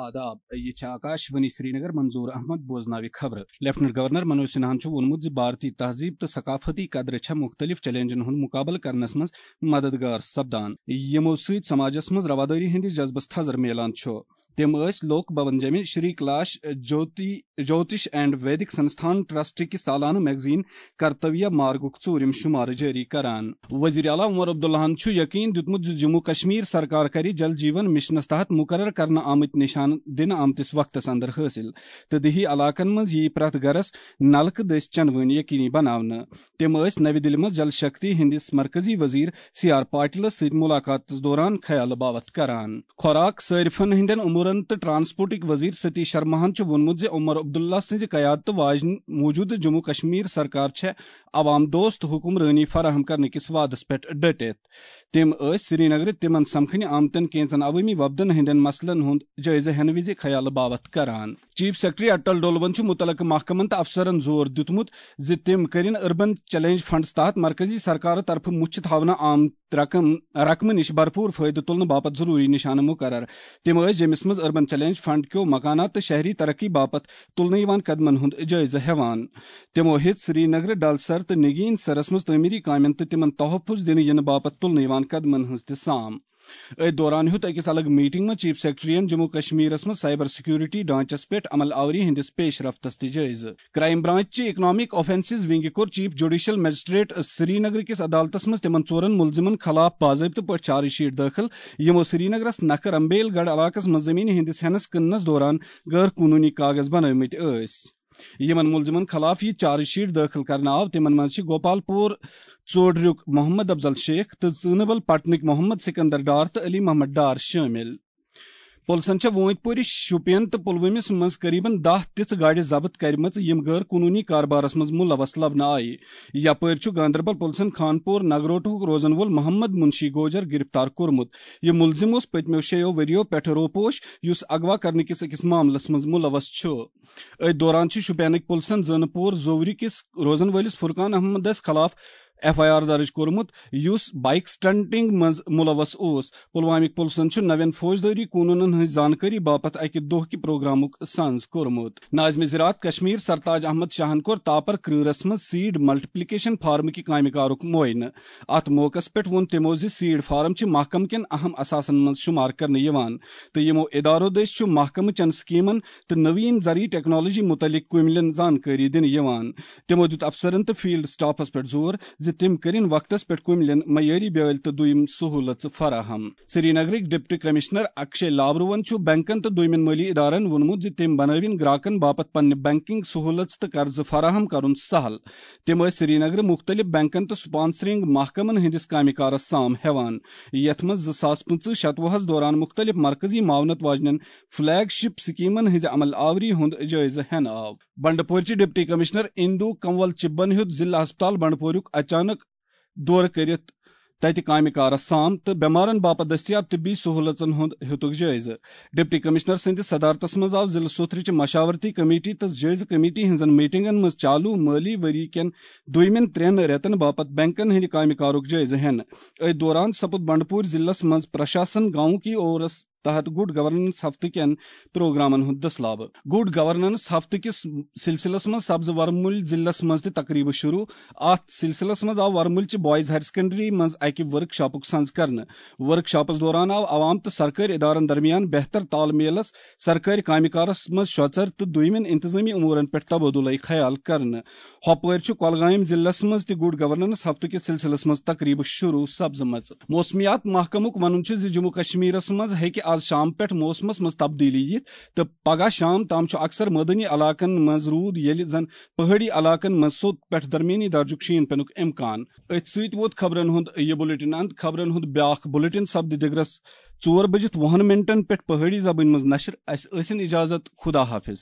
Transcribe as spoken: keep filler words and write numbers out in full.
آداب، یہِ چھِ آکاش وانی سرینگر، منظور احمد بوزناوِ خبرٕ۔ لیفٹننٹ گورنر منوج سنہاہن چھُ ووٚنمُت زِ بھارتی تہذیب تہٕ ثقافتی قدرٕ چھےٚ مُختٔلِف چیلنجن ہُنٛد مُقابلہٕ کرنس منٛز مددگار سپدان، یِمو سۭتۍ سماجس منٛز روادٲری ہٕنٛدِس جذبس تھزر میلان چھُ۔ تِم ٲسۍ لوک بھون جیمہِ شری کلاش جوتی، جوتش اینڈ ویدک سنستھان ٹرسٹ کہِ سالانہٕ میگزین کرتویہ مارگُک ژوٗرِم شمارٕ جٲری کران۔ وزیر اعلیٰ عمر عبداللہن چھُ یقین دیُتمُت زِ جموں کشمیر سرکار کرِ جل جیون مشنس تحت مقرر کرنہٕ آمٕتۍ نشانہٕ دِنہٕ آمتِس وقتس اندر حٲصِل تہٕ دیہی علاقن منٛز یِیہِ پرٛٮ۪تھ گرس نلکہٕ دٔسۍ چندوٲنۍ یقینی بناونہٕ۔ تِم ٲسۍ نوِ دِلہِ منٛز جل شکتی ہٕنٛدِس مرکزی وزیر سی آر پاٹلس سۭتۍ ملاقاتس دوران خیالہٕ باوتھ کران۔ خوراک، صارفن ہٕنٛدٮ۪ن امورن تہٕ ٹرانسپورٹٕکۍ وزیر ستیش شرماہن چھُ ووٚنمُت زِ عمر عبداللہ سٕنٛزِ قیادتہٕ واجنہِ موجودٕ جموں کشمیر سرکار چھےٚ عوام دوست حکمرٲنی فراہم کرنہٕ کِس وعدس پٮ۪ٹھ ڈٔٹِتھ۔ تِم ٲسۍ سرینگرٕ تِمن سمکھنہِ آمتٮ۪ن کینژن عوٲمی وفدن ہٕنٛدٮ۪ن مسلن ہُنٛد جٲیزٕ ہٮ۪نہٕ وِزِ خیالہٕ باوتھ کران۔ چیف سیکرٹری اٹل ڈولون چھُ مُتعلقہٕ محکمن تہٕ افسرن زور دیُتمُت زِ تِم کٔرِن اربن چیلنج فنڈس تحت مرکزی سرکارٕ طرفہٕ مُچھِ تھاونہٕ آمت رقم، رقمہٕ نِش بھرپوٗر فٲیدٕ تُلنہٕ باپتھ ضروٗری نِشانہٕ مُقرر۔ تِم ٲسۍ جیٚمِس منٛز اربن چیلنج فنڈ کیو مکانات تہٕ شہری ترقی باپتھ تُلنہٕ یِوان قدمن ہُنٛد جٲیزٕ ہٮ۪وان۔ تِمو ہیٚژ سرینگرٕ، ڈل سر تہٕ نگین سرس منٛز تعمیری کامٮ۪ن تہٕ تِمن تحفظ دِنہٕ یِنہٕ باپتھ تُلنہٕ یِوان قدمن ہٕنٛز تہِ سام۔ أتھۍ دوران ہیوٚت أکِس الگ میٹنگ منٛز چیف سیکرٹریَن جموں کشمیرس منٛز سائبر سیکورٹی ڈھانچس پٮ۪ٹھ عمل آوری ہٕنٛدِس پیش رفتس تہِ جٲیزٕ۔ کرائم برانچ چہِ اکنامک آفینسز ونگہِ کوٚر چیف جوڈیشل مجسٹریٹ سرینگر کِس عدالتس منٛز تِمن ژورن مُلزِمن خلاف باضٲبطہٕ پٲٹھۍ چارج شیٹ دٲخل، یِمو سرینگرس نکھٕ رمبیل گڑھ علاقس منٛز زمینہِ ہٕنٛدِس ہٮ۪نس کٕننس دوران غٲر قونوٗنی کاغذ بنٲومٕتۍ ٲسۍ۔ یِمن مُلزِمن خلاف یہِ چارج شیٹ دٲخل کرنہٕ آو، تِمن منٛز چھِ گوپال پور ژوڈریُک محمد افضل شیخ تہٕ ژٲنبل پٹنٕکۍ محمد سکندر ڈار تہٕ علی محمد ڈار شٲمِل۔ پُلسن چھےٚ وٲنٛتۍ پورِ، شوپین تہٕ پُلوٲمِس منٛز قریباً دَہ تِژھٕ گاڑِ ضبط کَرِمَژٕ، یِم غٲر قونوٗنی کاربارس منٛز مُلوث لبنہٕ آیہِ۔ یپٲرۍ چھُ گاندربل پُلسن خانپور نگروٹہُک روزن وول محمد منشی گوجر گرفتار کوٚرمُت۔ یہِ مُلزِم اوس پٔتمیو شیٚیو ؤرِیو پٮ۪ٹھٕ روپوش، یُس اغوا کرنہٕ کِس أکِس معاملس منٛز مُلوث چھُ۔ أتھۍ دوران چھِ شوپینٕکۍ پُلسن زٲنہٕ پور زوورِ کِس روزن وٲلِس فرقان احمدس خلاف ایف آئی آر درٕج کوٚرمُت، یُس بائیک سٹنٹنگ منٛز مُلوث اوس۔ پلوامٕکۍ پُلسن چھُ نوٮ۪ن فوجدٲری قونوٗنن ہٕنٛز زانکٲری باپتھ اَکہِ دۄہ کہِ پروگرامُک سنز کوٚرمُت۔ ناظمِ زراعت کشمیر سرتاج احمد شاہن کوٚر تاپر کرۭرس منٛز سیڈ ملٹیپلیکیشن فارم کہِ کامہِ کارُک معائنہٕ۔ اتھ موقعس پٮ۪ٹھ ووٚن تِمو زِ سیڈ فارم چھِ محکمہٕ کٮ۪ن اہم اثاثن منٛز شُمار کرنہٕ یِوان تہٕ یِمو ادارو دٔسۍ چھُ محکمہٕ چٮ۪ن سکیمن تہٕ نوین زرعی ٹیکنالوجی مُتعلق کُملٮ۪ن زانکٲری دِنہٕ یِوان۔ تِمو دیُت افسرن تہٕ فیلڈ سٹافس پٮ۪ٹھ زور زِ تِم کٔرِن وقتس پٮ۪ٹھ کُملٮ۪ن معیٲری بیٲلۍ تہٕ دوٚیِم سہوٗلژٕ فراہم۔ سرینگرٕکۍ ڈپٹی کمشنر اکشے لاورون چھُ بینکن تہٕ دوٚیمٮ۪ن مٲلی ادارن ووٚنمُت زِ تِم بنٲوِن گراکن باپتھ پننہِ بینکنگ سہوٗلژٕ تہٕ قرضہٕ فراہم کرُن سہل۔ تِم ٲسۍ سرینگرٕ مُختٔلِف بینکن تہٕ سپانسرنگ محکمن ہٕنٛدِس کامہِ کارس سام ہٮ۪وان، یتھ منٛز زٕ ساس پٕنٛژٕہ شتوُہس دوران مُختٔلِف مرکزی معاونت واجنٮ۪ن فلیگ شپ سکیمن ہٕنٛزِ عمل آوری ہُنٛد جٲیزٕ ہٮ۪نہٕ آو۔ بنڈپورچہِ ڈپٹی کمشنر اندو کنول چبن ہیوٚت ضلع ہسپتال بنڈپوریُک اچانک دورٕ کٔرِتھ تتہِ کامہِ کارس سام تہٕ بٮ۪مارن باپتھ دٔستیاب طبی سہوٗلژن ہُنٛد ہیوٚتُکھ جٲیزٕ۔ ڈپٹی کمشنر سٕنٛدِس صدارتس منٛز آو ضلعہٕ سوتھرٕچہِ مشاورتی کمیٹی تہٕ جٲیزٕ کمیٹی ہٕنٛزن میٹنگن منٛز چالو مٲلی ؤری کٮ۪ن دوٚیمٮ۪ن ترٛٮ۪ن رٮ۪تن باپتھ بینکن ہٕنٛدِ کامہِ کارُک جٲیزٕ ہٮ۪نہٕ۔ أتھۍ دوران سپُد بنڈپور ضلعس منٛز پرشاسن گاؤں کی اورس تحت گڈ گورننس ہفتہٕ کٮ۪ن پروگرامن ہُنٛد دٔسلابہٕ۔ گڈ گورننس ہفتہٕ کِس سلسلس منٛز سپزٕ ورمُلۍ ضلعس منٛز تہِ تقریبہٕ شروع۔ اتھ سلسلس منٛز آو ورمُلۍ چہِ بوائز ہائر سیکنڈری منٛز اکہِ ورک شاپُک سنز کرنہٕ۔ ورک شاپس دوران آو عوام تہٕ سرکٲرۍ ادارن درمیان بہتر تال میلس، سرکٲرۍ کامہِ کارس منٛز شۄژر تہٕ دوٚیمٮ۪ن انتظٲمی امورن پٮ۪ٹھ تبادلہٕ خیال کرنہٕ۔ ہۄپٲرۍ چھُ کۄلگامۍ ضلعس منٛز تہِ گڈ گورننس ہفتہٕ کِس سلسلس منٛز تقریبہٕ شروع سپزمٕژ۔ موسمیات محکمُک وَنُن چھُ زِ جموں کشمیرس منٛز ہیٚکہِ آز شام پٮ۪ٹھ موسمس منٛز تبدیلی یِتھ تہٕ پگہہ شام تام چھُ اکثر مٲدٲنی علاقن منٛز روٗد، ییٚلہِ زن پہٲڑی علاقن منٛز سوٚت پٮ۪ٹھ درمیٲنی درجُک شیٖن پینُک امکان۔ أتھۍ سۭتۍ ووت خبرن ہُنٛد یہِ بلیٹن اند۔ خبرن ہُنٛد بیاکھ بلیٹن سپدِ دِگرس ژور بجِتھ وُہن منٹن پٮ۪ٹھ پہٲڑی زبٲنۍ منٛز نشر۔ اسہِ ٲسِن اجازت، خدا حافظ۔